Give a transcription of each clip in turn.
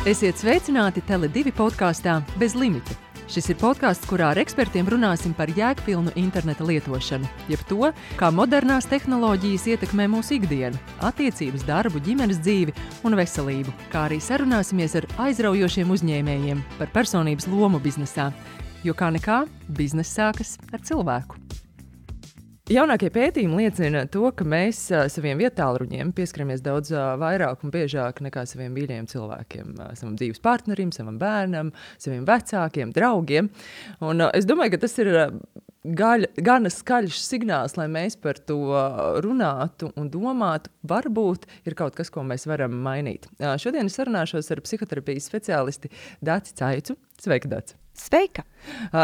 Esiet sveicināti Tele2 podkāstā Bez limita. Šis ir podkāsts, kurā ar ekspertiem runāsim par jēgpilnu interneta lietošanu, jeb to, kā modernās tehnoloģijas ietekmē mūsu ikdienu, attiecības, darbu, ģimenes dzīvi un veselību, kā arī sarunāsimies ar aizraujošiem uzņēmējiem par personības lomu biznesā, jo kā nekā, bizness sākas ar cilvēku. Jaunākie pētījumi liecina to, ka mēs saviem vietālruņiem pieskaramies daudz vairāk un biežāk nekā saviem mīļajiem cilvēkiem, savam dzīves partnerim, savam bērnam, saviem vecākiem, draugiem. Un es domāju, ka tas ir gana skaļš signāls, lai mēs par to runātu un domātu. Varbūt ir kaut kas, ko mēs varam mainīt. Šodien es sarunāšos ar psihoterapijas speciālisti Daci Caicu. Sveika, Daci! Sveika!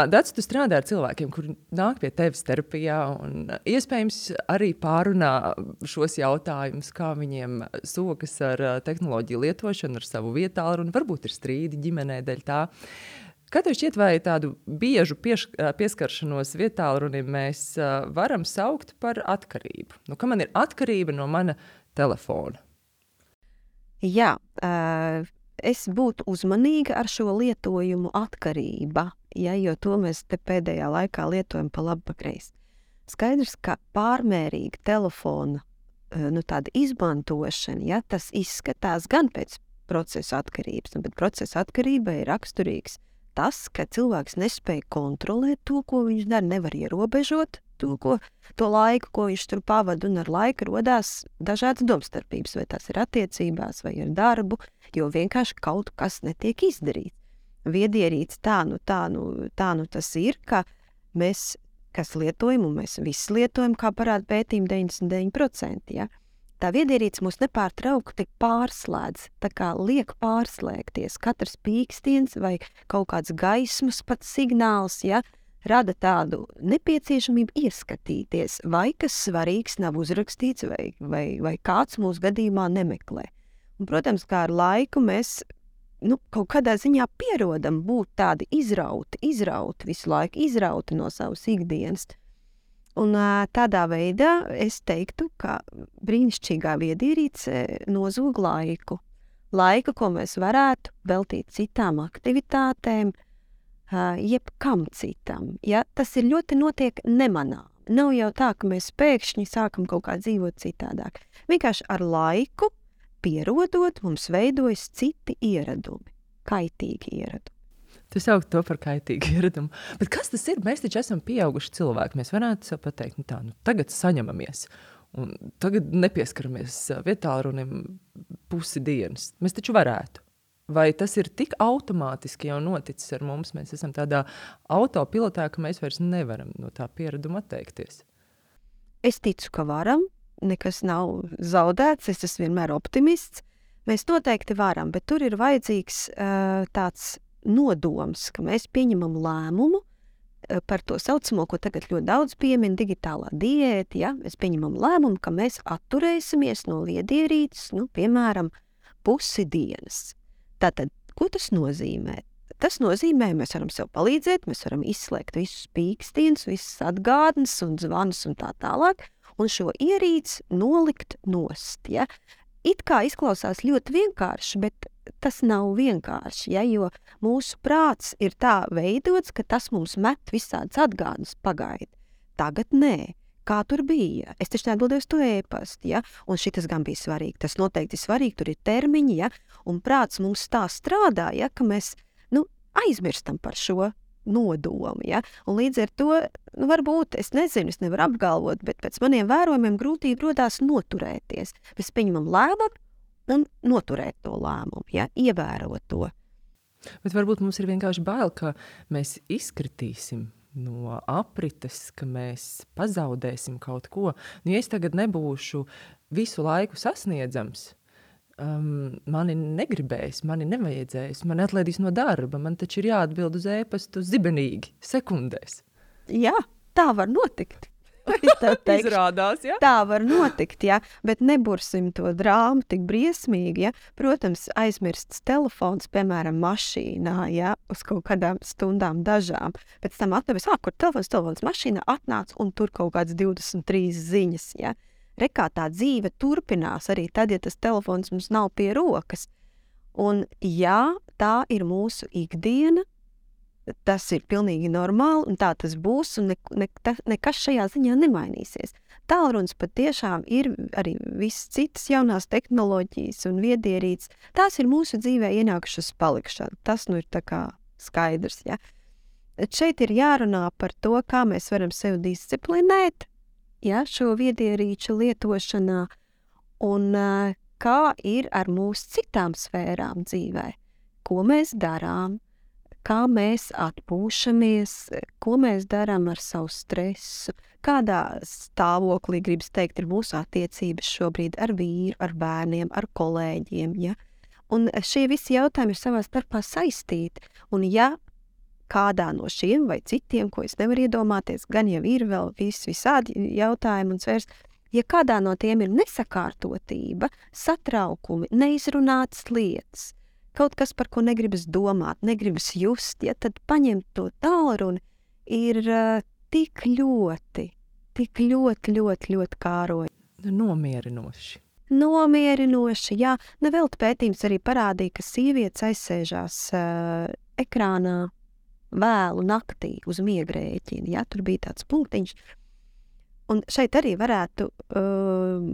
Daci, tu strādā ar cilvēkiem, kuri nāk pie tevis terapijā un iespējams arī pārunā šos jautājumus, kā viņiem sokas ar tehnoloģiju lietošanu, ar savu vietālruni, varbūt ir strīdi ģimenē dēļ tā. Kā tev šķiet, vai tādu biežu pieskaršanos vietālrunim mēs varam saukt par atkarību? Nu, ka man ir atkarība no mana telefona? Jā, es būtu uzmanīga ar šo lietojumu atkarība, jo to mēs te pēdējā laikā lietojam pa labi pa kreisi. Skaidrs, ka pārmērīga telefona tāda izmantošana, tas izskatās gan pēc procesa atkarības, bet procesa atkarībai ir raksturīgs tas, ka cilvēks nespēj kontrolēt to, ko viņš dara, nevar ierobežot to laiku, ko viņš tur pavada, un ar laiku rodās dažādas domstarpības, vai tas ir attiecībās, vai ar darbu, jo vienkārši kaut kas netiek izdarīts. Viedierīts tā tas ir, ka mēs, kas lietojam, un mēs visi lietojam, kā parāda pētījumi 99%, tā viedierīts mūs nepārtraukti pārslēdz, tā kā liek pārslēgties. Katrs pīkstiens vai kaut kāds gaismas pat signāls, rada tādu nepieciešamību ieskatīties, vai kas svarīgs nav uzrakstīts, vai kāds mūsu gadījumā nemeklē. Un, protams, kā ar laiku mēs kaut kādā ziņā pierodam būt tādi izrauti, visu laiku izrauti no savas ikdienas. Un tādā veidā es teiktu, ka brīnišķīgā viedierīce nozog laiku. Laiku, ko mēs varētu veltīt citām aktivitātēm, jebkam citam. Tas ir ļoti notiek nemanām. Nav jau tā, ka mēs pēkšņi sākam kaut kā dzīvot citādāk. Vienkārši ar laiku, pierodot, mums veidojas citi ieradumi, kaitīgi ieradumi. Tu sauc to par kaitīgu ieраdumu. Bet kas tas ir? Mēs taču esam pieauguši cilvēki. Mēs varētu sev pateikt, tagad saņemamies. Un tagad nepieskaramies vietālrunim pusi dienas. Mēs taču varētu. Vai tas ir tik automātiski jau noticis ar mums? Mēs esam tādā autopilotā, ka mēs vairs nevaram no tā piereduma atteikties. Es ticu, ka varam. Nekas nav zaudēts. Es esmu vienmēr optimists. Mēs noteikti varam, bet tur ir vajadzīgs tāds nodoms, ka mēs pieņemam lēmumu par to saucamo, ko tagad ļoti daudz piemin, digitālā diēta. Mēs pieņemam lēmumu, ka mēs atturēsimies no viedierītes, piemēram, pusi dienas. Tātad, ko tas nozīmē? Tas nozīmē, mēs varam sev palīdzēt, mēs varam izslēgt visus pīkstienus, visas atgādnes un zvanus un tā tālāk, un šo ierīci nolikt nost. It kā izklausās ļoti vienkārši, bet tas nav vienkārši, jo mūsu prāts ir tā veidots, ka tas mums met visādas atgādnes pagaidi. Tagad nē. Kā tur bija? Es taču neatbildēju uz to e-pastu, un šitas gan bija svarīgi. Tas noteikti ir svarīgi, tur ir termiņi, un prāts mums tā strādā, ka mēs aizmirstam par šo nodomu, un līdz ar to, varbūt, es nezinu, es nevaru apgalvot, bet pēc maniem vērojumiem grūtība rodās noturēties. Mēs pieņemam lēmumu un noturēt to lēmumu, ievērot to. Bet varbūt mums ir vienkārši bail, ka mēs izkritīsim no aprites, ka mēs pazaudēsim kaut ko. Ja es tagad nebūšu visu laiku sasniedzams, mani negribēs, mani nevajadzēs, mani atlaidīs no darba, man taču ir jāatbild uz e-pastu sekundēs, sekundēs. Jā, tā var notikt. Izrādās, Tā var notikt, bet nebursim to drāmu tik briesmīgi, Protams, aizmirsts telefons, piemēram, mašīnā, uz kaut kādām stundām dažām. Pēc tam atnevis, kur telefons mašīnā atnāca un tur kaut kāds 23 ziņas, Rekā tā dzīve turpinās arī tad, ja tas telefons mums nav pie rokas. Un jā, tā ir mūsu ikdiena, tas ir pilnīgi normāli, un tā tas būs, un nekas šajā ziņā nemainīsies. Tālrunis patiešām ir arī visas citas jaunās tehnoloģijas un viedierīces. Tās ir mūsu dzīvē ienākušas palikšana. Tas nu ir tā kā skaidrs, ja. Šeit ir jārunā par to, kā mēs varam sevi disciplinēt, ja, šo viedierīču lietošanā, un kā ir ar mūsu citām sfērām dzīvē. Ko mēs darām, kā mēs atpūšamies, ko mēs darām ar savu stresu, kādā stāvoklī, gribas teikt, ir mūsu attiecības šobrīd ar vīru, ar bērniem, ar kolēģiem. Ja? Un šie visi jautājumi ir savā starpā saistīti. Un ja kādā no šiem vai citiem, ko es nevaru iedomāties, gan jau ir vēl visādi jautājumi un svērs, ja kādā no tiem ir nesakārtotība, satraukumi, neizrunātas lietas, kaut kas, par ko negribas domāt, negribas just, ja, tad paņemt to tālruni ir tik ļoti kāroji. Nomierinoši. Nomierinoši, jā. Nevelti pētījums arī parādīja, ka sievietes aizsēžās ekrānā vēlu naktī uz miegrēķina. Jā, tur bija tāds punktiņš. Un šeit arī varētu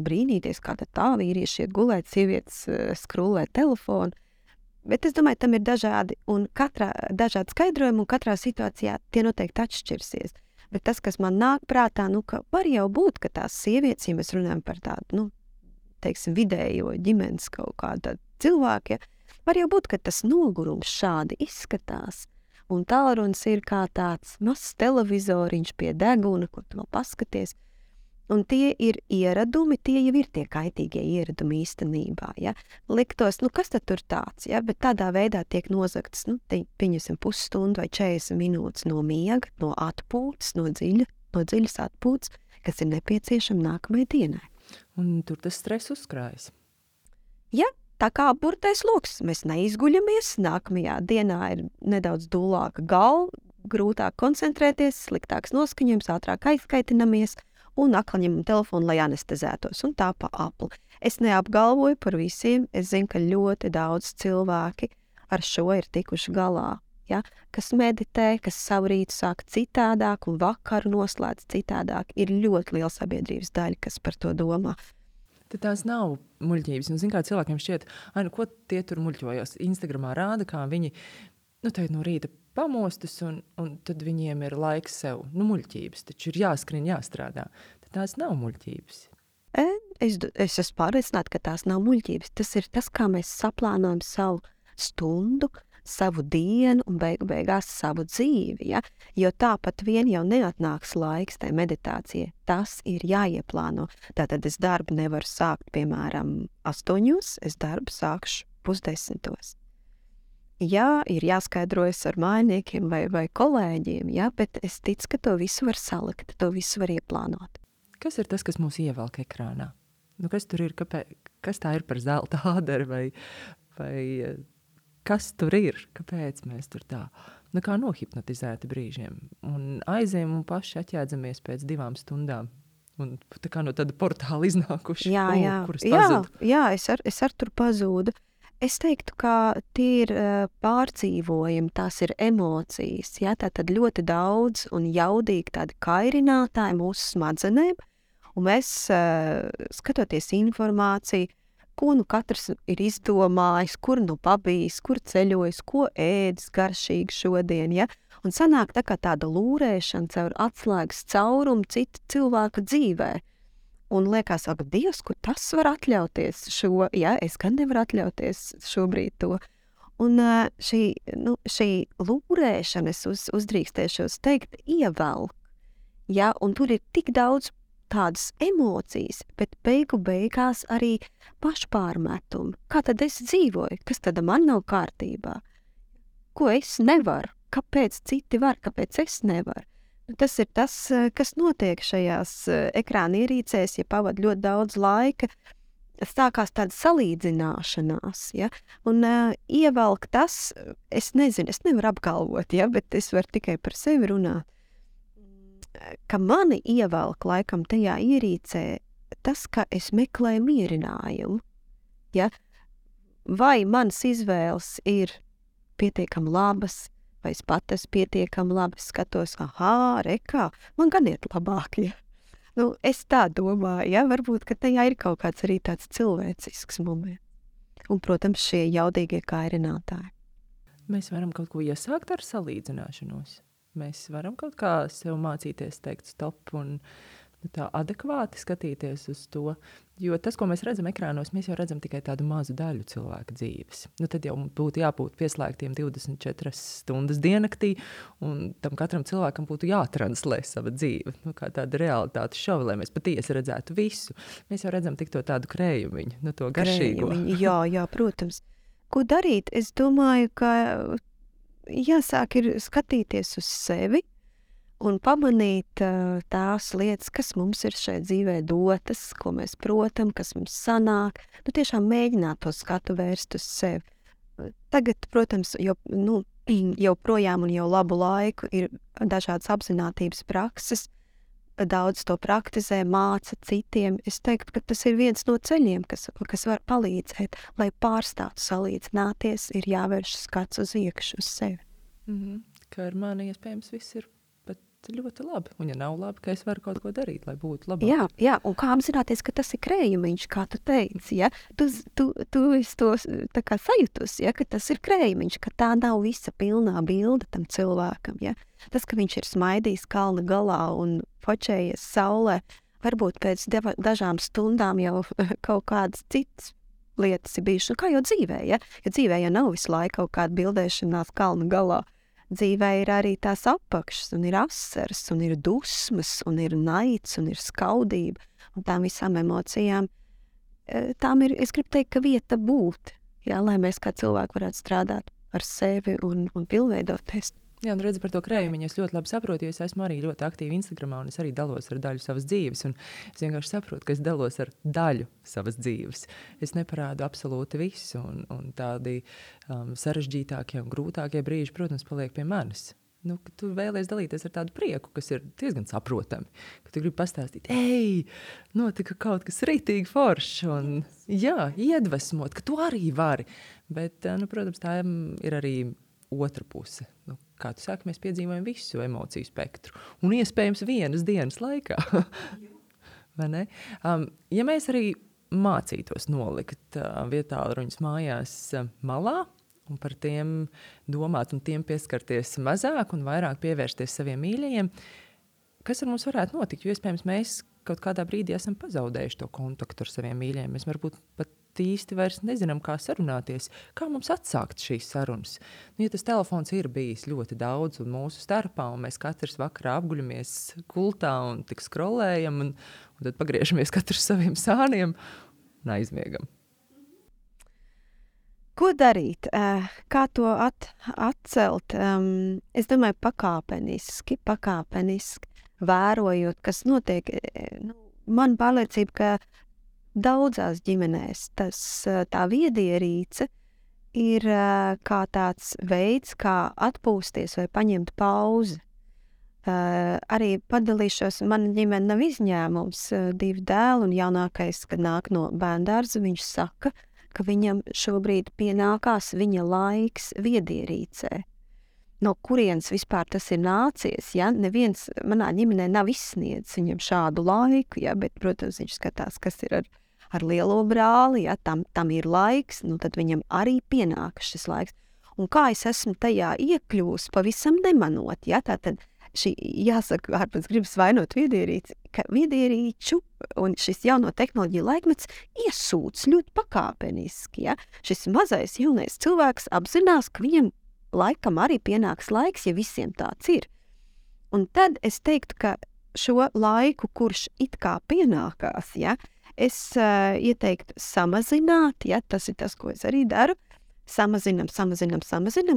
brīnīties, kā tā vīrieši iet gulēt, sievietes skrūlē telefonu. Bet es domāju, tam ir dažādi skaidrojumi, un katrā situācijā tie noteikti atšķirsies. Bet tas, kas man nāk prātā, ka var jau būt, ka tās sievietes, ja mēs runājam par tādu, teiksim, vidējo ģimenes kaut kādu cilvēku, ja, var jau būt, ka tas nogurums šādi izskatās. Un tālrunis ir kā tāds mazs televizoriņš pie deguna, ko tu vēl paskaties. Un tie ir ieradumi, tie jau ir tie kaitīgie ieradumi īstenībā. Ja? Liktos, kas tad tur tāds, ja? Bet tādā veidā tiek nozagtas, pieņemsim pusstundu vai 40 minūtes no miega, no atpūtas, no dziļas atpūtas, kas ir nepieciešama nākamajai dienai. Un tur tas stress uzkrājas. Ja, tā kā burtais loks, mēs neizguļamies, nākamajā dienā ir nedaudz dūlāka galva, grūtāk koncentrēties, sliktāks noskaņojums, ātrāk aizkaitinamies, un atkal ņemam telefonu, lai anestezētos, un tā pa apli. Es neapgalvoju par visiem, es zinu, ka ļoti daudz cilvēki ar šo ir tikuši galā, ja? Kas meditē, kas savu rītu sāk citādāk un vakaru noslēdz citādāk. Ir ļoti liela sabiedrības daļa, kas par to domā. Tad tās nav muļķības. Un, zin, kā cilvēkiem šķiet, ko tie tur muļķojos. Instagramā rāda, kā viņi tagad no rīta pamostas, un tad viņiem ir laiks sev. Muļķības, taču ir jāskrien, jāstrādā. Tad tās nav muļķības. Es esmu pārliecināta, ka tās nav muļķības. Tas ir tas, kā mēs saplānojam savu stundu, savu dienu un beigās savu dzīvi. Ja? Jo tāpat vien jau neatnāks laiks tai meditācijai. Tas ir jāieplāno. Tātad es darbu nevaru sākt, piemēram, 8, es darbu sākšu 9:30. Jā, ir jāskaidrojas ar mājiniekiem vai kolēģiem, jā, bet es ticu, ka to visu var salikt, to visu var ieplānot. Kas ir tas, kas mūs ievelk ekrānā? Kas tur ir, kas tā ir par zelta āderi vai kas tur ir? Kāpēc mēs tur tā? Kā nohipnotizēti brīžiem. Un aizējam un paši atjēdzamies pēc 2 stundām. Un tā kā no tāda portāla iznākuši. Kuras pazūd. Jā, es ar tur pazūdu. Es teiktu, ka tie ir pārdzīvojumi, tās ir emocijas, ja? Tātad ļoti daudz un jaudīgi tādi kairinātāji mūsu smadzenēm, un mēs, skatoties informāciju, ko katrs ir izdomājis, kur pabijis, kur ceļojis, ko ēdis garšīgi šodien, ja? Un sanāk tā kā tāda lūrēšana caur atslēgas caurumu cita cilvēka dzīvē. Un liekas, ak, Dievs, kur tas var atļauties šo, ja, es gan nevaru atļauties šobrīd to. Un šī lūrēšana, es uzdrīkstēšos teikt, ievelk, ja, un tur ir tik daudz tādas emocijas, bet beigās arī pašpārmetumi. Kā tad es dzīvoju? Kas tad man nav kārtībā? Ko es nevaru? Kāpēc citi var? Kāpēc es nevaru? Tas ir tas, kas notiek šajās ekrāna ierīcēs, ja pavad ļoti daudz laika, sākās tāda salīdzināšanās, ja? Un ievelk tas, es nezinu, es nevaru apgalvot, ja? Bet es varu tikai par sevi runāt, ka mani ievelk laikam tajā ierīcē tas, ka es meklēju mierinājumu, ja? vai manas izvēles ir pietiekami labas, vai es pat esmu pietiekami labi, skatos, rekā, man gan iet labāk, ja. Nu, es tā domāju, ja, varbūt, ka tajā ir kaut kāds arī tāds cilvēcisks moments. Un, protams, šie jaudīgie kairinātāji. Mēs varam kaut ko iesākt ar salīdzināšanos. Mēs varam kaut kā sev mācīties teikt stop un tā adekvāti skatīties uz to. Jo tas, ko mēs redzam ekrānos, mēs jau redzam tikai tādu mazu daļu cilvēka dzīves. Nu, tad jau būtu jābūt pieslēgtiem 24 stundas diennaktī, un tam katram cilvēkam būtu jātranslē sava dzīve. Nu, kā tāda realitātes šova, lai mēs patiesi redzētu visu. Mēs jau redzam tik to tādu krējumiņu, to garšīgo. Jā, protams. Ko darīt? Es domāju, ka jāsāk ir skatīties uz sevi, un pamanīt tās lietas, kas mums ir šajā dzīvē dotas, ko mēs protam, kas mums sanāk. Nu, tiešām mēģināt to skatu vērst uz sevi. Tagad, protams, jau projām un jau labu laiku ir dažādas apzinātības prakses. Daudz to praktizē, māca citiem. Es teiktu, ka tas ir viens no ceļiem, kas var palīdzēt. Lai pārstātu salīdzināties, ir jāvērš skats uz iekšu, uz sevi. Ka ar mani iespējams viss ir ļoti labi. Un ja nav labi, ka es varu kaut ko darīt, lai būtu labāk. Jā, un kā apzināties, ka tas ir krējumiņš, kā tu teici, ja? Tu esi to tā kā sajūtus, ja? Ka tas ir krējumiņš, ka tā nav visa pilnā bilde tam cilvēkam, ja? Tas, ka viņš ir smaidījis kalna galā un fočējies saulē, varbūt pēc dažām stundām jau kaut kādas citas lietas ir bijušas. Kā jau dzīvē, ja? Jo dzīvē jau nav visu laiku kaut kāda bildēšanās kalna galā. Dzīvē ir arī tās apakšas, un ir asaras, un ir dusmas, un ir naids, un ir skaudība. Un tām visām emocijām, tām ir, es gribu teikt, ka vieta būt, jā, lai mēs kā cilvēki varētu strādāt ar sevi un pilnveidoties. Jā, un redzi par to krējumiņu, es ļoti labi saprotu, jo es esmu arī ļoti aktīvi Instagramā, un es arī dalos ar daļu savas dzīves, un es vienkārši saprotu, ka es dalos ar daļu savas dzīves. Es neparādu absolūti visu, un tādi sarežģītākie un grūtākie brīži, protams, paliek pie manis. Nu, ka tu vēlies dalīties ar tādu prieku, kas ir diezgan saprotami, ka tu gribi pastāstīt, notika kaut kas ritīgi foršs, un jā, iedvesmot, ka tu arī vari, bet, protams, tā ir arī otra puse. Nu, kā tu saki, mēs piedzīvojam visu emociju spektru. Un iespējams vienas dienas laikā. Vai ne? Ja mēs arī mācītos nolikt vietālruņus mājās malā un par tiem domāt un tiem pieskarties mazāk un vairāk pievērsties saviem mīļajiem, kas ar mums varētu notikt? Jo iespējams mēs kaut kādā brīdī esam pazaudējuši to kontaktu ar saviem mīļajiem. Mēs varbūt pat īsti vairs nezinām, kā sarunāties, kā mums atsākt šīs sarunas. Nu, ja tas telefons ir bijis ļoti daudz un mūsu starpā, un mēs katrs vakarā apguļamies gultā un tik skrolējam, un tad pagriežamies katrs saviem sāniem un aizmiegam. Ko darīt? Kā to atcelt? Es domāju, pakāpeniski, vērojot, kas notiek. Man pārliecība, ka daudzās ģimenēs tā viedierīce ir kā tāds veids, kā atpūsties vai paņemt pauzi. Arī padalīšos, mana ģimene nav izņēmums, 2 dēli un jaunākais, kad nāk no bērndārza, viņš saka, ka viņam šobrīd pienākās viņa laiks viedierīcē. No kurienes vispār tas ir nācies, ja? Neviens manā ģimenē nav izsniedzis viņam šādu laiku, ja? Bet, protams, viņš skatās, kas ir ar lielo brāli, ja? Tam ir laiks, nu tad viņam arī pienākas šis laiks. Un kā es esmu tajā iekļūst, pavisam nemanot, ja? Tātad jāsaka, ārpēc gribas vainot viedierīci, ka viedierīču un šis jauno tehnoloģiju laikmets iesūc ļoti pakāpeniski, ja? Šis mazais jaunais cilvēks apzinās, ka viņam laikam arī pienāks laiks, ja visiem tāds ir. Un tad es teiktu, ka šo laiku, kurš it kā pienākās, ja, es ieteiktu samazināt, ja, tas ir tas, ko es arī daru, samazinam,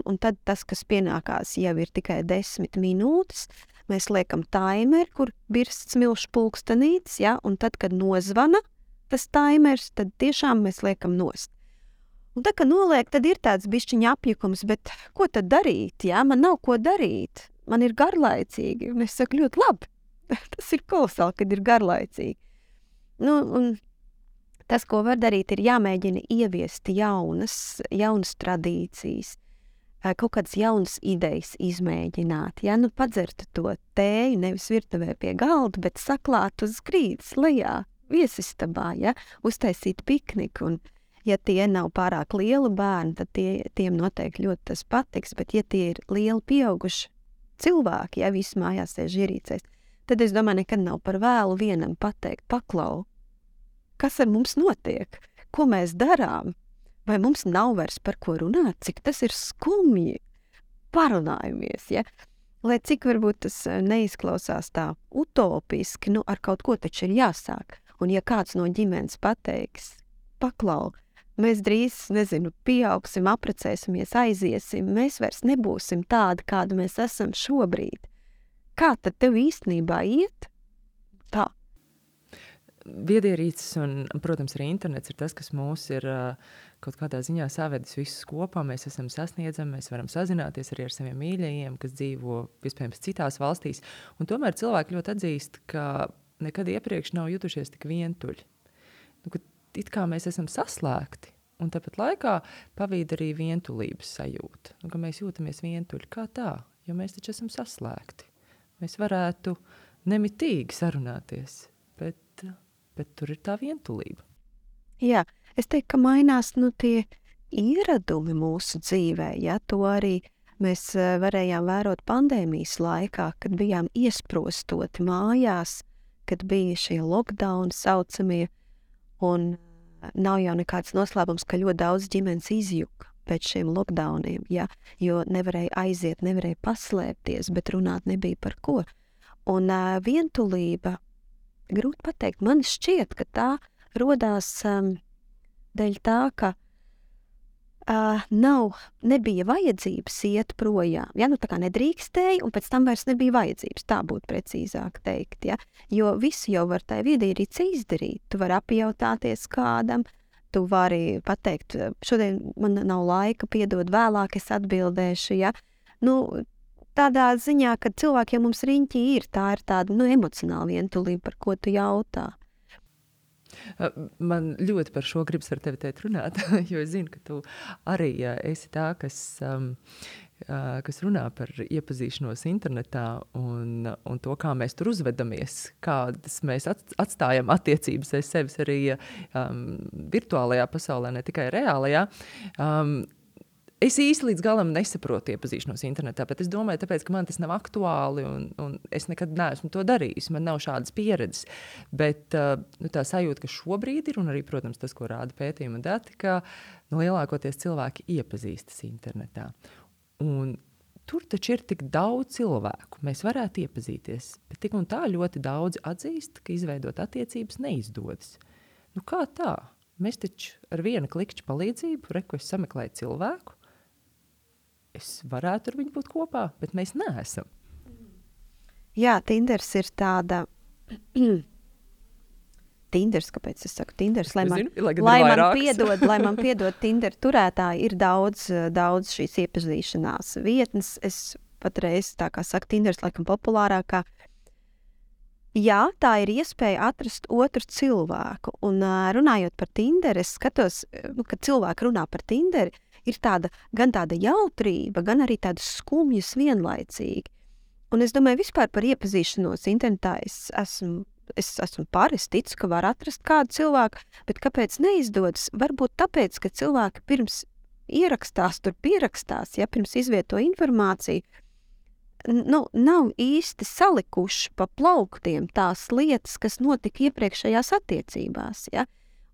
un tad tas, kas pienākās, jau ir tikai 10 minūtes, mēs liekam taimeri, kur birst smilšu pulkstenītes, ja, un tad, kad nozvana tas taimers, tad tiešām mēs liekam nost. Un tā, ka noliek, tad ir tāds bišķiņa apjukums, bet ko tad darīt, jā? Man nav ko darīt, man ir garlaicīgi, un es saku ļoti labi, tas ir kolosāli, kad ir garlaicīgi. Nu, un Tas, ko var darīt, ir jāmēģina ieviest jaunas tradīcijas, kaut kādas jaunas idejas izmēģināt. Ja? Nu, padzert to tēju nevis virtuvē pie galda, bet saklāt uz grīdas lejā, viesistabā, ja? Uztaisīt pikniku. Un, ja tie nav pārāk lieli bērni, tad tiem noteikti ļoti tas patiks, bet ja tie ir lieli pieauguši cilvēki, ja visi mājās sēž ierīcēs, tad es domāju, nekad nav par vēlu vienam pateikt, paklau, kas ar mums notiek, ko mēs darām, vai mums nav vairs par ko runāt, cik tas ir skumji, parunājamies, ja? Lai cik varbūt tas neizklausās tā utopiski, nu ar kaut ko taču ir jāsāk, un ja kāds no ģimenes pateiks, paklau, mēs drīz, pieaugsim, apprecēsimies, aiziesim, mēs vairs nebūsim tādi, kādi mēs esam šobrīd. Kā tad tev īstenībā iet? Tā. Viedierīces un, protams, arī internets ir tas, kas mūs ir kaut kādā ziņā savedis visus kopā. Mēs esam sasniedzami, mēs varam sazināties arī ar saviem mīļajiem, kas dzīvo, iespējams, citās valstīs. Un tomēr cilvēki ļoti atzīst, ka nekad iepriekš nav jutušies tik vientuļi. Nu, ka it kā mēs esam saslēgti, un tāpat laikā pavīd arī vientulības sajūta. Nu, ka mēs jūtamies vientuļi. Kā tā? Jo mēs taču esam saslēgti. Mēs varētu nemitīgi sarunāties, bet tur ir tā vientulība. Jā, es teiktu, ka mainās tie ieradumi mūsu dzīvē. Ja? To arī mēs varējām vērot pandēmijas laikā, kad bijām iesprostoti mājās, kad bija šie lockdown saucamie, un nav jau nekāds noslēpums, ka ļoti daudz ģimenes izjuka pēc šiem lockdowniem, ja? Jo nevarēja aiziet, nevarēja paslēpties, bet runāt nebija par ko. Un vientulība, grūti pateikt, man šķiet, ka tā rodās dēļ tā, ka nebija vajadzības iet projām. Ja? Nu, tā kā nedrīkstēja, un pēc tam vairs nebija vajadzības, tā būtu precīzāk teikt. Ja? Jo visu jau var tai viedierīce izdarīt. Tu vari apjautāties kādam, tu vari pateikt, šodien man nav laika, piedod vēlāk, es atbildēšu. Ja? Nu, tādā ziņā, ka cilvēkiem mums riņķī ir, tā ir tāda emocionāla vientulība, par ko tu jautā. Man ļoti par šo gribas ar tevi teikt runāt, jo es zinu, ka tu arī esi tā, kas runā par iepazīšanos internetā un to, kā mēs tur uzvedamies, kādas mēs atstājam attiecības aiz sevis arī virtuālajā pasaulē, ne tikai reālajā. Es īsti līdz galam nesaprotu iepazīšanos internetā, bet es domāju, tāpēc, ka man tas nav aktuāli un es nekad neesmu to darījis. Man nav šādas pieredzes. Bet tā sajūta, ka šobrīd ir, un arī, protams, tas, ko rāda pētījumi un dati, ka lielākoties cilvēki iepazīstas internetā. Un tur taču ir tik daudz cilvēku. Mēs varētu iepazīties, bet tik un tā ļoti daudzi atzīst, ka izveidot attiecības neizdodas. Nu kā tā? Mēs taču ar viena klikšķa palīdzību, ko es sameklēju cilvēku, es varētu ar viņu būt kopā, bet mēs neesam. Jā, Tinders ir tāda... Tinders, kāpēc es saku Tinders? Lai man piedod Tinder turētāji, ir daudz šīs iepazīšanās vietnes. Es patreiz, tā kā saka, Tinders laikam populārākā. Jā, tā ir iespēja atrast otru cilvēku. Un runājot par Tinderu, es skatos, kad cilvēki runā par Tinderu, ir gan tāda jautrība, gan arī tāda skumjas vienlaicīgi. Un es domāju, vispār par iepazīšanos internetā es esmu par, es ticu, ka var atrast kādu cilvēku, bet kāpēc neizdodas? Varbūt tāpēc, ka cilvēki pirms pierakstās, ja pirms izvieto informāciju, nav īsti salikuši pa plauktiem tās lietas, kas notika iepriekšējās attiecībās. Ja?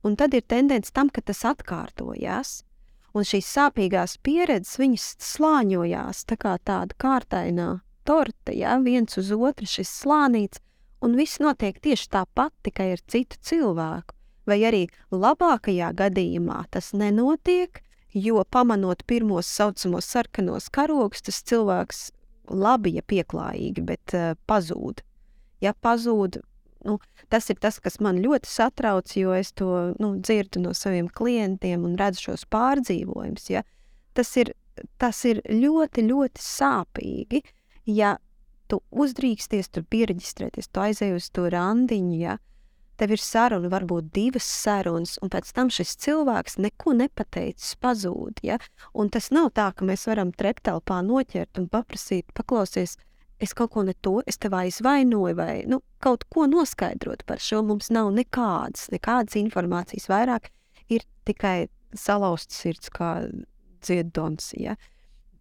Un tad ir tendence tam, ka tas atkārtojās. Un šīs sāpīgās pieredzes, viņas slāņojās tā kā tāda kārtainā torte, ja? Viens uz otru šis slānīts, un viss notiek tieši tāpat, tikai ar citu cilvēku. Vai arī labākajā gadījumā tas nenotiek, jo pamanot pirmos saucamos sarkanos karogus, tas cilvēks labi, ja pieklājīgi, bet pazūd. Ja pazūd, tas ir tas, kas man ļoti satrauc, jo es to dzirdu no saviem klientiem un redzu šos pārdzīvojumus. Ja? Tas ir ļoti, ļoti sāpīgi, ja tu uzdrīksties tur piereģistrēties, tu aizēji uz to randiņu, ja? tev ir saruna, varbūt 2 sarunas, un pēc tam šis cilvēks neko nepateicis, pazūd, ja? Un tas nav tā, ka mēs varam treptelpā noķert un paprasīt, paklausies, es kaut ko ne to, es tev aizvainoju vai, kaut ko noskaidrot par šo, mums nav nekādas informācijas vairāk, ir tikai salauzts sirds kā dzieddons, ja?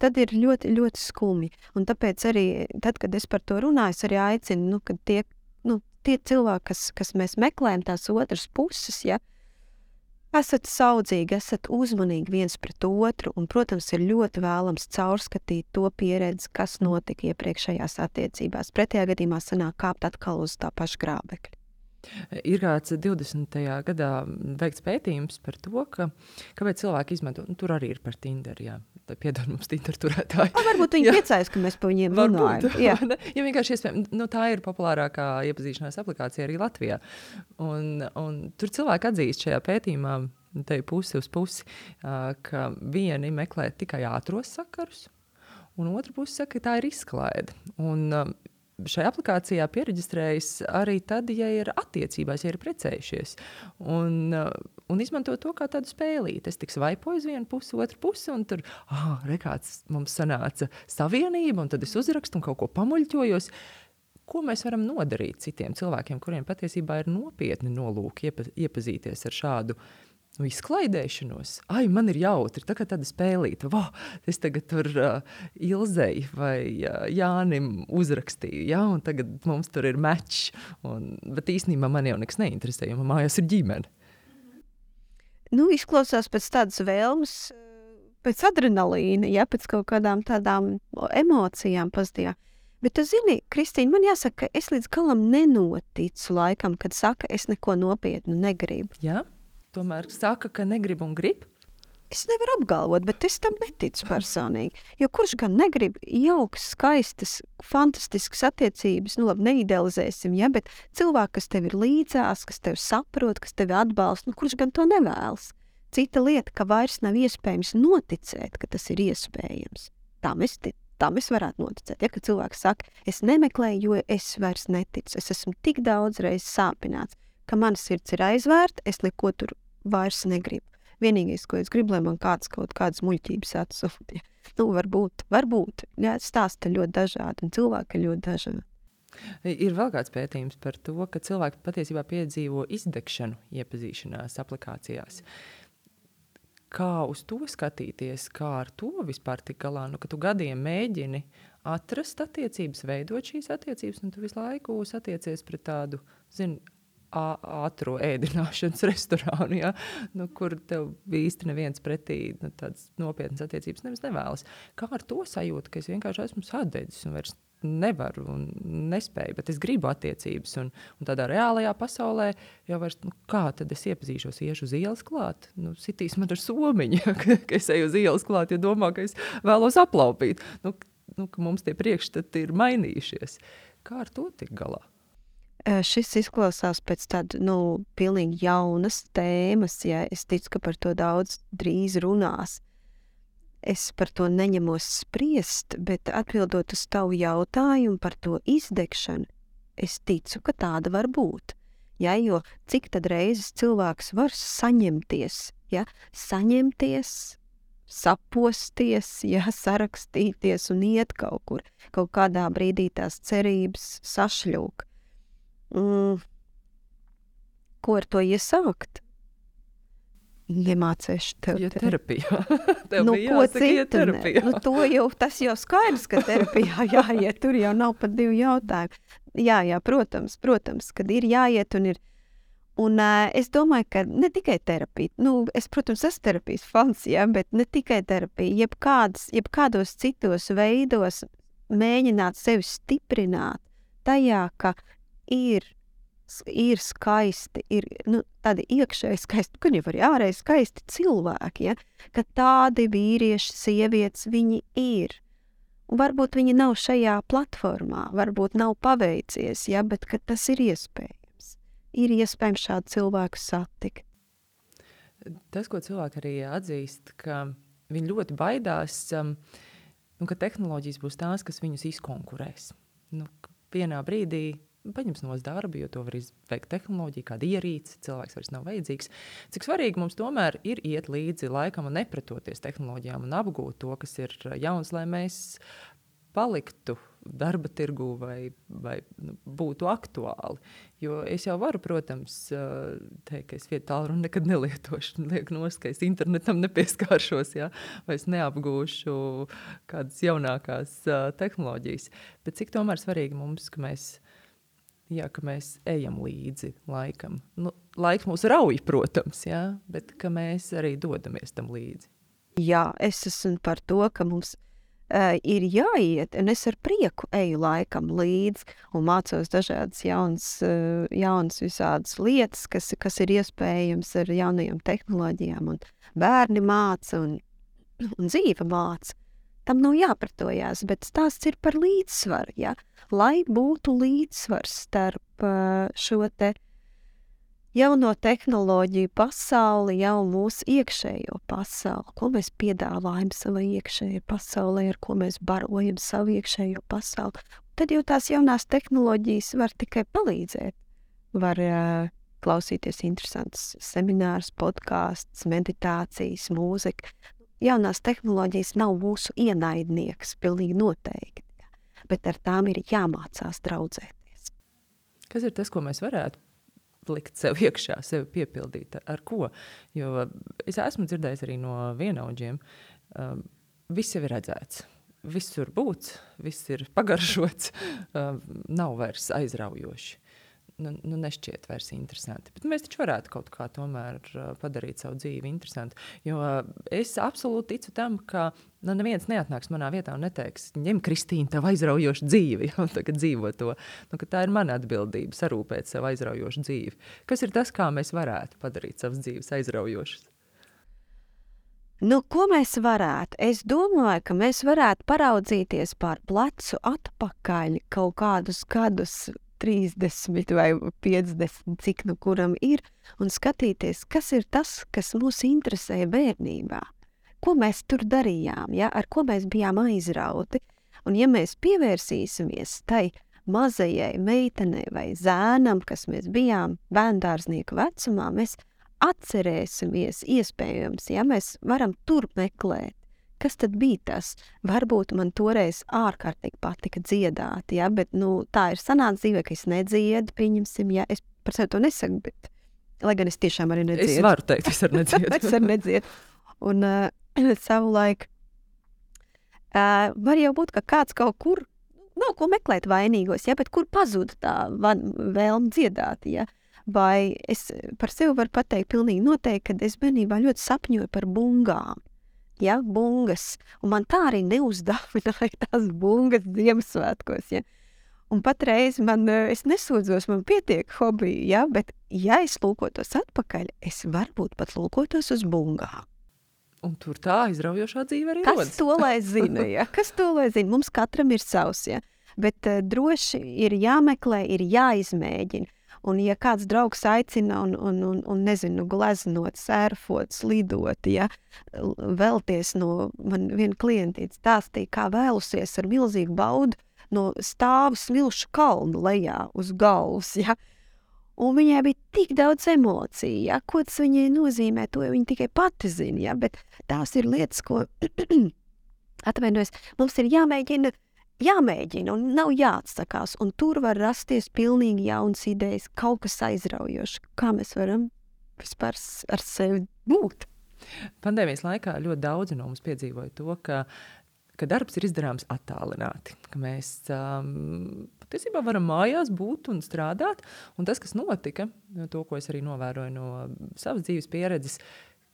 Tad ir ļoti, ļoti skumji. Un tāpēc arī, tad, kad es par to runāju, es arī aicinu, kad tie cilvēki, kas mēs meklējam tās otras puses, ja, esat saudzīgi, esat uzmanīgi viens pret otru, un, protams, ir ļoti vēlams caurskatīt to pieredzi, kas notika iepriekšējās attiecībās. Pretējā gadījumā sanāk kāpt atkal uz tā paša grābekļa. Ir kāds 20. gadā veikts pētījums par to, kāpēc cilvēki izmanto, tur arī ir par Tinder, jā. Piedod mums Tinder turētāji. Varbūt viņi priecājas, ka mēs par viņiem runājam. Jā, vienkārši iespējams, tā ir populārākā iepazīšanās aplikācija arī Latvijā. Un tur cilvēki atzīst šajā pētījumā, te pusi uz pusi, ka vieni meklē tikai ātros sakarus, un otra pusi saka, ka tā ir izklaide. Un šajā aplikācijā piereģistrējas arī tad, ja ir attiecībās, ja ir precējušies. Un izmanto to kā tādu spēlīti. Es tik svaipoju uz vienu pusi, otru pusi, un tur, rekāds mums sanāca savienība, un tad es uzrakstu un kaut ko pamuļķojos. Ko mēs varam nodarīt citiem cilvēkiem, kuriem patiesībā ir nopietni nolūki iepazīties ar šādu izklaidēšanos? Man ir jautri, tā kā tāda spēlīta. Es tagad tur Ilzei vai Jānim uzrakstīju, ja? Un tagad mums tur ir mečs. Bet īstenībā man jau nekas neinteresē, jo man mājās ir ģimene. Izklausās pēc tādas vēlmes, pēc adrenalīna, ja, pēc kaut kādām tādām emocijām pozitīvām. Bet tu zini, Kristīna, man jāsaka, ka es līdz galam nenoticu laikam, kad saka, es neko nopietnu negribu. Jā? Tomēr saka, ka negrib un grib? Es nevaru apgalvot, bet es tam neticu personīgi. Jo kurš gan negrib jaukas, skaistas, fantastiskas attiecības, labi, neidealizēsim, ja, bet cilvēki, kas tev ir līdzās, kas tev saprot, kas tevi atbalsta, kurš gan to nevēlas? Cita lieta, ka vairs nav iespējams noticēt, ka tas ir iespējams. Tā mēs varētu noticēt. Ja, ka cilvēks saka, es nemeklēju, jo es vairs neticu. Es esmu tik daudz reizes sāpināts, ka mana sirds ir aizvērta, es neko tur vairs negribu. Vienīgais, ko es gribu, lai man kāds kaut kādas muļķības atsūta. Varbūt. Jā, stāsti ļoti dažādi un cilvēki ir ļoti dažādi. Ir vēl kāds pētījums par to, ka cilvēki patiesībā piedzīvo izdegšanu iepazīšanās aplikācijās. Kā uz to skatīties, kā ar to vispār tik galā? Ka tu gadiem mēģini atrast attiecības, veidot šīs attiecības, un tu visu laiku satiecies pret tādu, ātro ēdināšanas restorānu, ja? Kur tev īsti neviens pretī tādas nopietnas attiecības nevēlas. Kā ar to sajūtu, ka es vienkārši esmu sadedzis un vairs nevaru un nespēju, bet es gribu attiecības un tādā reālajā pasaulē jau vairs, kā tad es iepazīšos, iešu uz ielas klāt? Sitīs man ar somiņu, ka es eju uz ielas klāt, ja domā, ka es vēlos aplaupīt. Ka mums tie priekšstati ir mainījušies. Kā ar to tik galā? Šis izklausās pēc tāda, pilnīgi jaunas tēmas, ja es ticu, ka par to daudz drīz runās. Es par to neņemos spriest, bet atbildot uz tavu jautājumu par to izdegšanu, es ticu, ka tāda var būt. Ja, jo cik tad reizes cilvēks var saņemties, ja, saposties, ja, sarakstīties un iet kaut kur. Kaut kādā brīdī tās cerības sašļūk. Ko ar to iesākt? Nemācēšu tev. Terapijā. Tev bija ko jāsaka, iet terapijā. Tas jau skaidrs, ka terapijā jāiet. Tur jau nav pat 2 jautājumu. Jā, protams, kad ir jāiet un ir. Un es domāju, ka ne tikai terapija. Es, protams, esmu terapijas fans, ja, bet ne tikai terapija. Jebkādos citos veidos mēģināt sevi stiprināt tajā, ka ir skaisti, ir tādi iekšēji skaisti, gan jau arī ārēji skaisti cilvēki, ja? Ka tādi vīrieši, sievietes, viņi ir. Un varbūt viņi nav šajā platformā, varbūt nav paveicies, ja? Bet ka tas ir iespējams. Ir iespējams šādu cilvēku satikt. Tas, ko cilvēki arī atzīst, ka viņi ļoti baidās, ka tehnoloģijas būs tās, kas viņus izkonkurēs. Vienā brīdī paņems no darba, jo to var izveikt tehnoloģija, kāda ierīce, cilvēks vairs nav vajadzīgs. Cik svarīgi mums tomēr ir iet līdzi laikam un nepretoties tehnoloģijām un apgūt to, kas ir jauns, lai mēs paliktu darba tirgū vai būtu aktuāli. Jo es jau varu, protams, teikt, ka es vietu tālruni nekad nelietošu, liek nost, ka es internetam nepieskāršos, ja? Vai es neapgūšu kādas jaunākās tehnoloģijas. Bet cik tomēr svarīgi mums, ka mēs ejam līdzi laikam. Laiks mūs rauj, protams, ja? Bet ka mēs arī dodamies tam līdzi. Jā, es esmu par to, ka mums ir jāiet, un es ar prieku eju laikam līdzi un mācos dažādas jaunas visādas lietas, kas ir iespējams ar jaunajām tehnoloģijām, un bērni māca, un dzīve māca. Tam nav jāpratojās, bet stāsts ir par līdzsvaru, ja? Lai būtu līdzsvars starp šo te jauno tehnoloģiju pasauli, jau mūsu iekšējo pasauli, ko mēs piedāvājam savai iekšējai pasaulē, ar ko mēs barojam savu iekšējo pasauli. Tad jau tās jaunās tehnoloģijas var tikai palīdzēt. Var klausīties interesants seminārus, podkāsts, meditācijas, mūzika. Jaunās tehnoloģijas nav mūsu ienaidnieks, pilnīgi noteikti, bet ar tām ir jāmācās draudzēties. Kas ir tas, ko mēs varētu likt sev iekšā, sevi piepildīt? Ar ko? Jo es esmu dzirdējis arī no vienaudžiem, viss jau ir redzēts. Viss ir būts, viss ir pagaršots, nav vairs aizraujoši. Nešķiet vairs interesanti. Bet mēs taču varētu kaut kā tomēr padarīt savu dzīvi interesantu. Jo es absolūti ticu tam, ka neviens neatnāks manā vietā un neteiks, ņem, Kristīna, tev aizraujošu dzīvi, un tagad dzīvo to. Ka tā ir mana atbildība, sarūpēt sev aizraujošu dzīvi. Kas ir tas, kā mēs varētu padarīt savas dzīves aizraujošas? Ko mēs varētu? Es domāju, ka mēs varētu paraudzīties pār plecu atpakaļ kaut kādus gadus, 30 vai 50, cik kuram ir, un skatīties, kas ir tas, kas mūs interesēja bērnībā. Ko mēs tur darījām, ja? Ar ko mēs bijām aizrauti. Un ja mēs pievērsīsimies tai mazajai meitenei vai zēnam, kas mēs bijām bērndārznieku vecumā, mēs atcerēsimies iespējams, ja mēs varam tur meklēt. Kas tad bija tas? Varbūt man toreiz ārkārtīgi patika dziedāt, ja? Bet tā ir sanāca dzīvē, ka es nedziedu, pieņemsim, ja? Es par sevi to nesaku, bet, lai gan es tiešām arī nedziedu. Es varu teikt, es arī nedziedu. Es arī nedziedu. Un savulaik var jau būt, ka kāds kaut kur, nav ko meklēt vainīgos, ja? Bet kur pazuda tā vēlme dziedāt, ja? Vai es par sevi varu pateikt pilnīgi noteikti, kad es bērnībā ļoti sapņoju par bungām. Ja, bungas, un man tā arī neuzdāvināja tās bungas Ziemassvētkos, ja. Un patreiz es nesūdzos, man pietiek hobiju, ja, bet ja es lūkotos atpakaļ, es varbūt pat lūkotos uz bungām. Un tur tā aizraujošā dzīve arī rodas. Kas to lai zina, ja? Kas to lai zina? Mums katram ir savs, ja. Bet droši ir jāmeklē, ir jāizmēģina. Un ja kāds draugs aicina un nezinu, gleznot, sērfot, slidot, ja, vēlties man viena klientīte stāstīja, kā vēlusies ar milzīgu baudu no stāvu smilšu kalnu lejā uz galvas, ja. Un viņai bija tik daudz emociju, ja, ko tas viņai nozīmē, to viņa tikai pati zina, ja, bet tās ir lietas, ko atvainojos, mums ir jāmēģina, un nav jāatsakās, un tur var rasties pilnīgi jaunas idejas, kaut kas aizraujošs, kā mēs varam vispār ar sevi būt. Pandēmijas laikā ļoti daudzi no mums piedzīvoja to, ka darbs ir izdarāms attālināti, ka mēs patiesībā varam mājās būt un strādāt, un tas, kas notika, to, ko es arī novēroju no savas dzīves pieredzes,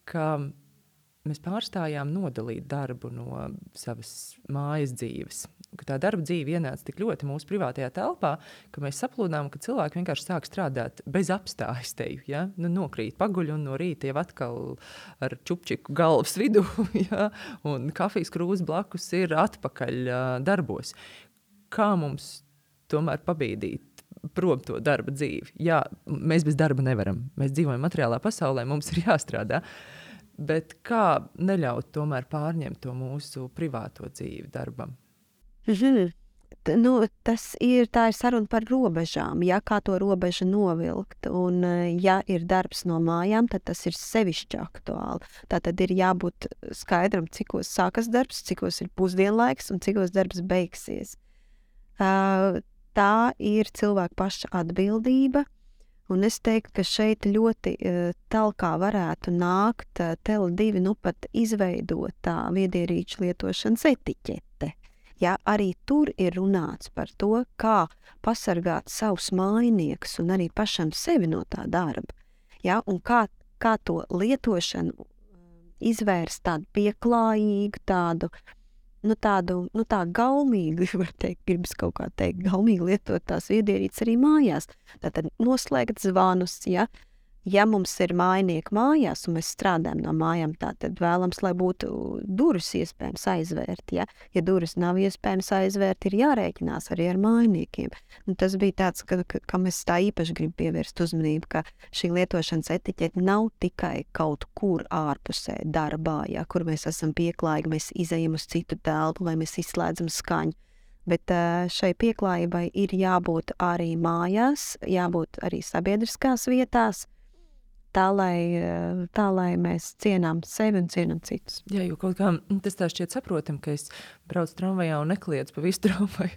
ka mēs pārstājām nodalīt darbu no savas mājas dzīves. Ka tā darba dzīve ienāca tik ļoti mūsu privātajā telpā, ka mēs saplūdām, ka cilvēki vienkārši sāk strādāt bez apstājas teju. Ja? Nokrīt paguļ un no rīta jau atkal ar čupčiku galvas vidu, ja? Un kafijas krūze blakus ir atpakaļ darbos. Kā mums tomēr pabīdīt prom to darba dzīvi? Jā, mēs bez darba nevaram. Mēs dzīvojam materiālā pasaulē, mums ir jāstrādā. Bet kā neļaut tomēr pārņemt to mūsu privāto dzīvi darbam? tā ir saruna par robežām, ja kā to robežu novilkt. Un, ja ir darbs no mājām, tad tas ir sevišķi aktuāli. Tātad ir jābūt skaidram, cikos sākas darbs, cikos ir pusdienlaiks un cikos darbs beigsies. Tā ir cilvēka paša atbildība. Un es teiktu, ka šeit ļoti talkā varētu nākt Tele2 pat izveidotā viedierīču lietošanas etiķete. Ja, arī tur ir runāts par to, kā pasargāt savus mājiniekus un arī pašam sevi no tā darba. Ja, un kā to lietošanu izvērst tādu pieklājīgu, tādu gaumīgi, var teikt, gribas kaut kā teikt, gaumīgi lietot tās viedierīces arī mājās. Tātad noslēgt zvanus, ja mums ir mājinieki mājās un mēs strādājam no mājām, tātad vēlams, lai būtu durvis iespējams aizvērt. Ja durvis nav iespējams aizvērt, ir jārēķinās arī ar mājiniekiem. Un tas bija tāds, ka mēs tā īpaši gribam pievērst uzmanību, ka šī lietošanas etiķete nav tikai kaut kur ārpusē darbā, kur mēs esam pieklājīgi, mēs izejam uz citu telpu, vai mēs izslēdzam skaņu. Bet šai pieklājībai ir jābūt arī mājās, jābūt arī sabiedriskās vietās, tā, lai mēs cienām sevi un cienām citus. Jā, jo kaut kā tas tā šķiet saprotam, ka es braucu tramvajā un nekliedzu pa visu tramvaju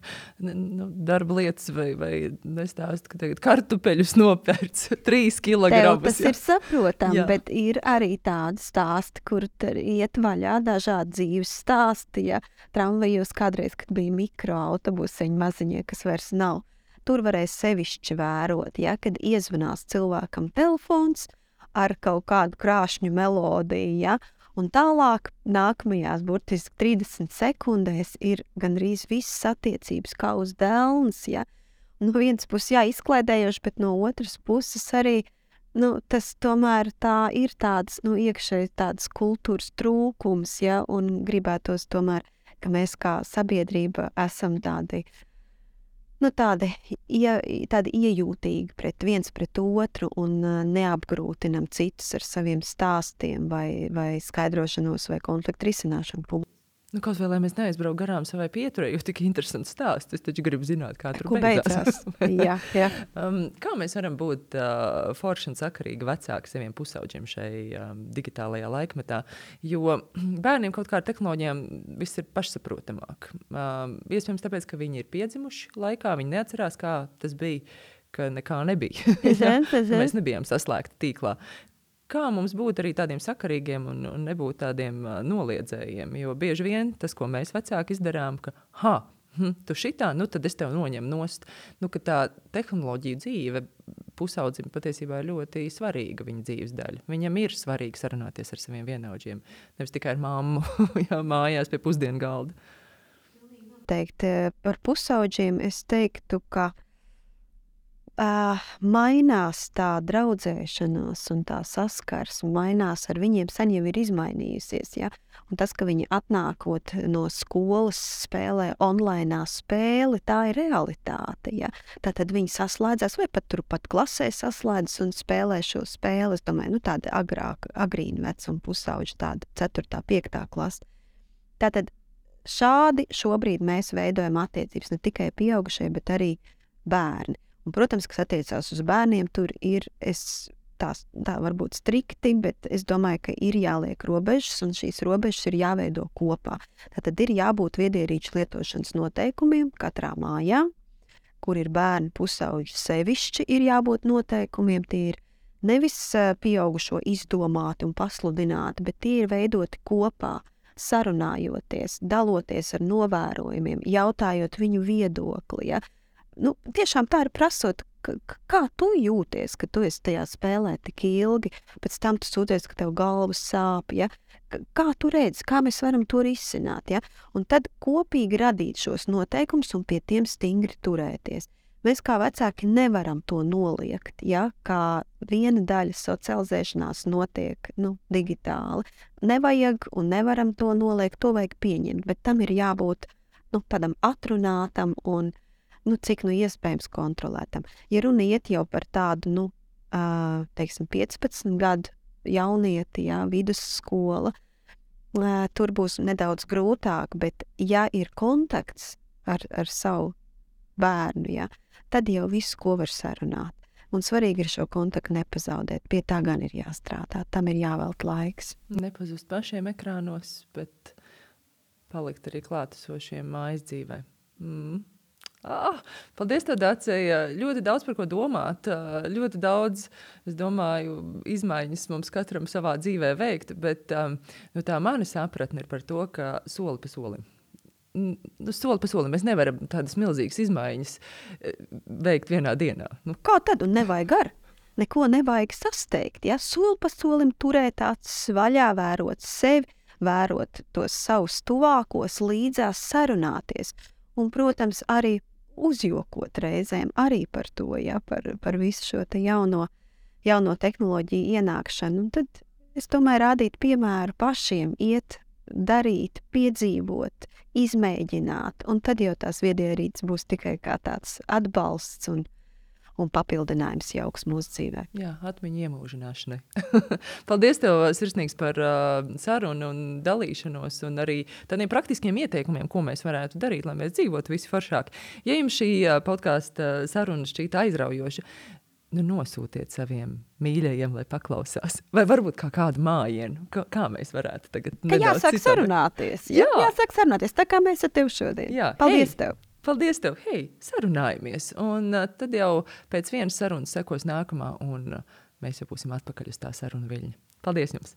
darba lietas vai nestāstu, ka tagad kartupeļus nopērts 3 kilogramus. Tas ir saprotam, bet ir arī tādi stāsti, kur iet vaļā dažādi dzīves stāsti, tramvajos kādreiz, kad bija mikroautobuseņi maziņie, kas vairs nav. Tur varēja sevišķi vērot, kad iezvanās cilvēkam telefons ar kaut kādu krāšņu melodiju, un tālāk nākamajās burtiski 30 sekundēs ir gandrīz visas attiecības kā uz delns, No vienas puses, izklaidējoši, bet no otras puses arī, tas tomēr tā ir tāds, iekšēji tādas kultūras trūkums, un gribētos tomēr, ka mēs kā sabiedrība esam tādi iejūtīgi viens pret otru un neapgrūtinam citus ar saviem stāstiem vai skaidrošanos vai konfliktu risināšanu. Kaut vai, lai mēs neaizbrauc garām savai pieturē, jo tik interesants stāsts. Es taču gribu zināt, kā tur beidzās. Jā. Kā mēs varam būt forši un sakarīgi vecāki saviem pusauģiem šai digitālajā laikmetā? Jo bērniem kaut kā ar tehnoloģijām viss ir pašsaprotamāk. Iespējams tāpēc, ka viņi ir piedzimuši laikā, viņi neatcerās, kā tas bija, ka nekā nebija. Mēs nebijām saslēgti tīklā. Kā mums būt arī tādiem sakarīgiem un nebūt tādiem noliedzējiem? Jo bieži vien tas, ko mēs vecāki izdarām, ka tu šitā, tad es tev noņemu nost. Ka tā tehnoloģija dzīve pusaudzim patiesībā ir ļoti svarīga viņa dzīves daļa. Viņam ir svarīgi sarunāties ar saviem vienaudžiem, nevis tikai ar mammu mājās pie pusdienu galda. Par pusauģiem es teiktu, ka mainās tā draudzēšanās un tā saskarsme, mainās ar viņiem, sen jau ir izmainījusies, un tas, ka viņi atnākot no skolas spēlē online spēli, tā ir realitāte, Tātad viņi saslēdzās, vai pat turpat klasē saslēdzas un spēlē šo spēli, es domāju, tāda agrīna vecuma pusauģa, tāda 4., 5. klasa. Tātad šādi šobrīd mēs veidojam attiecības ne tikai pieaugušie, bet arī bērni. Un, protams, kas attiecās uz bērniem, tur ir, tā varbūt strikti, bet es domāju, ka ir jāliek robežas, un šīs robežas ir jāveido kopā. Tātad ir jābūt viedierīču lietošanas noteikumiem katrā mājā, kur ir bērni pusauģi sevišķi, ir jābūt noteikumiem. Tie ir nevis pieaugušo izdomāti un pasludināti, bet tie ir veidoti kopā, sarunājoties, daloties ar novērojumiem, jautājot viņu viedokli, tiešām tā ir prasot, kā tu jūties, ka tu esi tajā spēlē tik ilgi, pēc tam tu sūties, ka tev galvas sāp, kā tu redzi, kā mēs varam to risināt, un tad kopīgi radīt šos noteikumus un pie tiem stingri turēties. Mēs kā vecāki nevaram to noliegt, kā viena daļa socializēšanās notiek digitāli. Nevajag un nevaram to noliegt, to vajag pieņemt, bet tam ir jābūt tādam atrunātam un cik iespējams kontrolētam. Ja runa iet jau par tādu, 15 gadu jaunieti, vidusskola, tur būs nedaudz grūtāk, bet ja ir kontakts ar savu bērnu, ja, tad jau visu, ko var sarunāt. Un svarīgi ir šo kontaktu nepazaudēt. Pie tā gan ir jāstrādā, tam ir jāvelt laiks. Nepazust pašiem ekrānos, bet palikt arī klātesošiem mājas dzīvē. Paldies tev, Dacija. Ļoti daudz par ko domāt. Ļoti daudz, es domāju, izmaiņas mums katram savā dzīvē veikt, bet tā mana sapratne ir par to, ka soli pa solim. Soli pa solim. Mēs nevaram tādas milzīgas izmaiņas veikt vienā dienā. Kā tad? Un nevajag gar. Neko nevajag sasteigt. Ja? Soli pa solim turēt acis vaļā, vērot sevi, vērot tos savus tuvākos, līdzās sarunāties. Un, protams, arī uzjokot reizēm arī par to, ja, par visu šo te jauno tehnoloģiju ienākšanu. Un tad es domāju rādīt piemēru pašiem, iet, darīt, piedzīvot, izmēģināt, un tad jau tās viedierīces būs tikai kā tāds atbalsts un papildinājums jauks mūsu dzīvē. Jā, atmiņu iemūžināšanai. Paldies tev sirsnīgs par sarunu un dalīšanos un arī tādiem praktiskiem ieteikumiem, ko mēs varētu darīt, lai mēs dzīvotu visi foršāk. Ja jums šī podkāsta saruna šķīta aizraujoša, nosūtiet saviem mīļajiem, lai paklausās. Vai varbūt kā kādu mājienu, kā mēs varētu tagad nedaudz jāsāk sarunāties. Jā, jāsāk sarunāties, tā kā mēs ar tevi šodien. Jā. Paldies tev! Paldies tev! Hei, sarunājamies! Un tad jau pēc vienas sarunas sekos nākamā, un mēs jau būsim atpakaļ uz tā sarunu viļņa. Paldies jums!